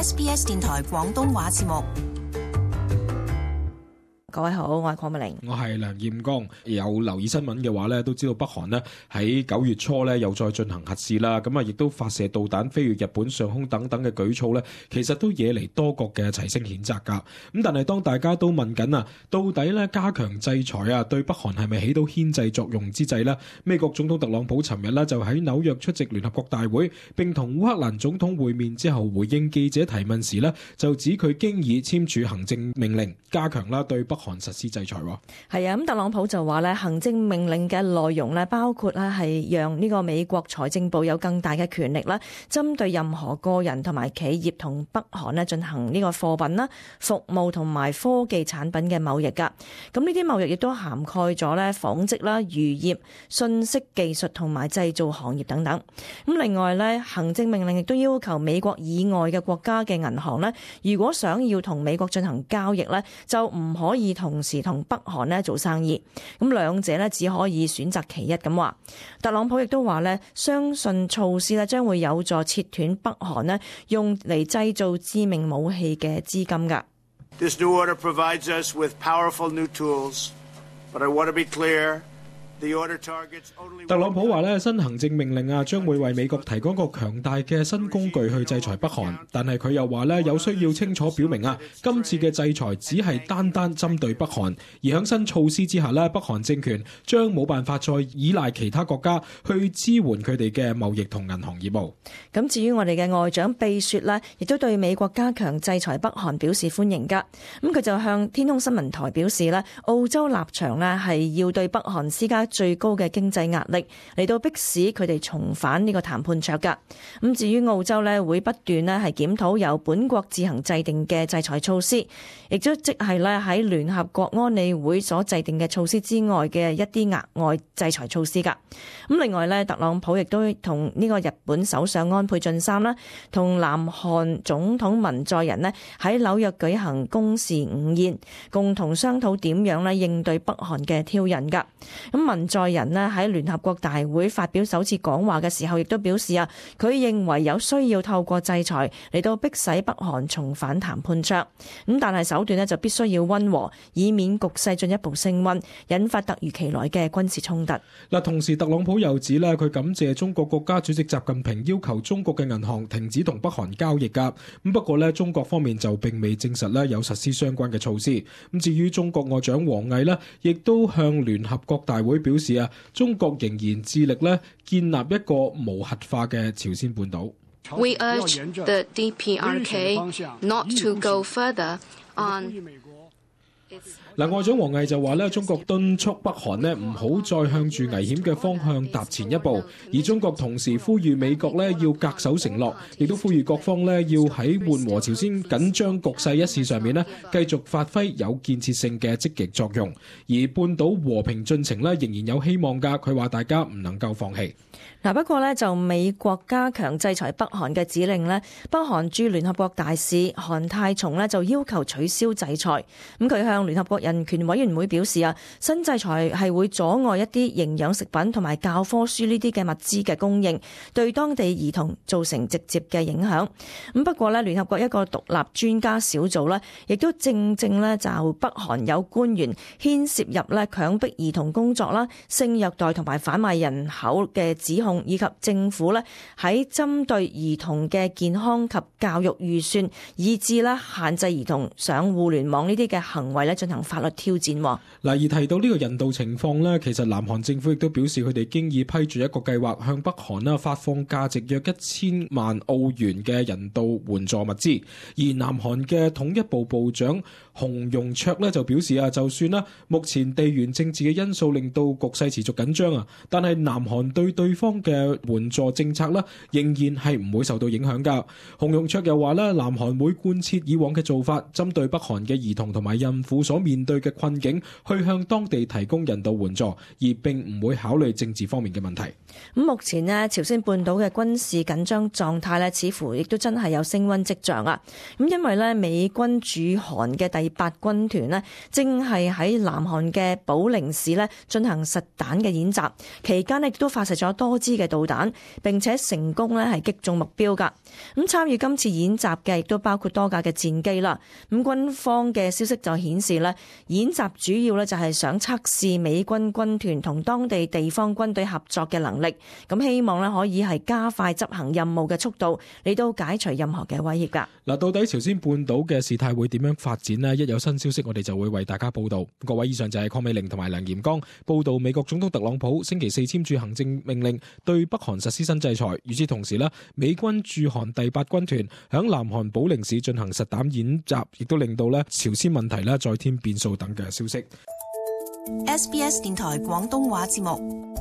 SBS 電台廣東話節目。各位好，我係鄺美玲，我係梁艷光。有留意新聞嘅話咧，都知道北韓咧喺9月初咧又再進行核試啦，咁啊亦都發射導彈飛越日本上空等等嘅舉措咧，其實都惹嚟多國嘅齊聲譴責㗎。咁但係當大家都問緊啊，到底咧加強制裁啊對北韓係咪起到牽制作用之際呢？美國總統特朗普尋日咧就喺紐約出席聯合國大會，並同烏克蘭總統會面之後，回應記者提問時呢，就指佢經已簽署行政命令，加強啦對北韓實施制裁。係啊，咁特朗普就話咧，行政命令嘅內容咧，包括咧係讓呢個美國財政部有更大嘅權力啦，針對任何個人同埋企業同北韓咧進行呢個貨品啦、服務同埋科技產品嘅貿易噶。咁呢啲貿易亦都涵蓋咗咧紡織啦、漁業、信息技術同埋製造行業等等。咁另外咧，行政命令亦都要求美國以外嘅國家嘅銀行咧，如果想要同美國進行交易咧，就唔可以同時同北韓咧做生意，咁兩者咧只可以選擇其一咁話。特朗普亦都話咧，相信措施咧將會有助切斷北韓咧用嚟製造致命武器嘅資金㗎。This new order provides us with powerful new tools, but I want to be clear.特朗普話咧，新行政命令啊，將會為美國提供一個強大嘅新工具去制裁北韓。但係佢又話咧，有需要清楚表明啊，今次嘅制裁只係單單針對北韓，而喺新措施之下咧，北韓政權將冇辦法再依賴其他國家去支援佢哋嘅貿易同銀行業務。咁至於我哋嘅外長貝雪呢，亦都對美國加強制裁北韓表示歡迎㗎。咁佢就向天空新聞台表示咧，澳洲立場呢係要對北韓施加最高嘅經濟壓力，嚟到迫使佢哋重返呢個談判桌㗎。咁至於澳洲呢，會不斷呢係檢討由本國自行制定嘅制裁措施，亦都即係呢喺聯合國安理會所制定嘅措施之外嘅一啲額外制裁措施㗎。咁另外呢，特朗普亦都同呢個日本首相安倍晉三啦，同南韓總統文在寅呢喺紐約舉行公事午宴，共同商討點樣呢應對北韓嘅挑釁㗎。咁文在寅呢喺聯合國大會發表首次講話嘅時候，亦都表示啊，佢認為有需要透過制裁嚟到迫使北韓重返談判桌。咁但係手段呢就必須要溫和，以免局勢進一步升溫，引發突如其來嘅軍事衝突。嗱，同時特朗普又指咧，佢感謝中國國家主席習近平要求中國嘅銀行停止同北韓交易㗎。咁不過咧，中國方面就並未證實咧有實施相關嘅措施。咁至於中國外長王毅呢，亦都向聯合國大會表示啊，中國仍然致力咧建立一個無核化嘅朝鮮半島。We urge the DPRK not to go further on。嗱，外長王毅就話咧，中國敦促北韓咧唔好再向住危險嘅方向踏前一步，而中國同時呼籲美國咧要恪守承諾，亦都呼籲各方咧要喺緩和朝鮮緊張局勢一事上面咧繼續發揮有建設性嘅積極作用，而半島和平進程咧仍然有希望㗎。佢話大家唔能夠放棄。嗱，不過呢，就美國加強制裁北韓嘅指令呢，北韓駐聯合國大使韓泰松呢就要求取消制裁。咁佢向聯合國人權委員會表示啊，新制裁係會阻礙一啲營養食品同埋教科書呢啲嘅物資嘅供應，對當地兒童造成直接嘅影響。咁不過呢，聯合國一個獨立專家小組呢，亦都正呢就北韓有官員牽涉入呢強迫兒童工作啦、性虐待同埋販賣人口嘅指控，以及政府呢喺針對兒童嘅健康及教育預算，以至呢限制兒童上互聯網呢啲嘅行為呢進行法律挑戰。嗱，而提到呢個人道情況呢，其實南韓政府亦都表示佢哋經已批准一個計劃，向北韓啦發放價值約1000萬澳元嘅人道援助物資。而南韓嘅統一部部長洪容卓呢就表示啊，就算啦目前地緣政治嘅因素令到局勢持續緊張啊，但係南韓對方嘅援助政策啦，仍然係唔會受到影響㗎。洪容卓又話咧，南韓會貫徹以往嘅做法，針對北韓嘅兒童同埋孕婦府所面對嘅困境，去向當地提供人道援助，而並唔會考慮政治方面嘅問題。咁目前呢，朝鮮半島嘅軍事緊張狀態呢，似乎亦都真係有升溫跡象啊！咁因為呢，美軍駐韓嘅第8軍團呢，正係喺南韓嘅寶寧市呢進行實彈嘅演習，期間呢亦都發射咗多支嘅導彈，並且成功呢係擊中目標㗎。咁參與今次演習嘅亦都包括多架嘅戰機啦。咁軍方嘅消息就顯示呢，演習主要呢就係想測試美軍軍團同當地地方軍隊合作嘅能力。咁希望咧可以係加快執行任務嘅速度，嚟到解除任何嘅威脅噶。嗱，到底朝鮮半島嘅事態會點樣發展呢？一有新消息，我哋就會為大家報道。各位，以上就係鄺美玲同埋梁炎剛報道美國總統特朗普星期4簽署行政命令，對北韓實施新制裁。與此同時呢，美軍駐韓第8軍團響南韓寶寧市進行實彈演習，亦都令到咧朝鮮問題咧再添變數等嘅消息。SBS 電台廣東話節目。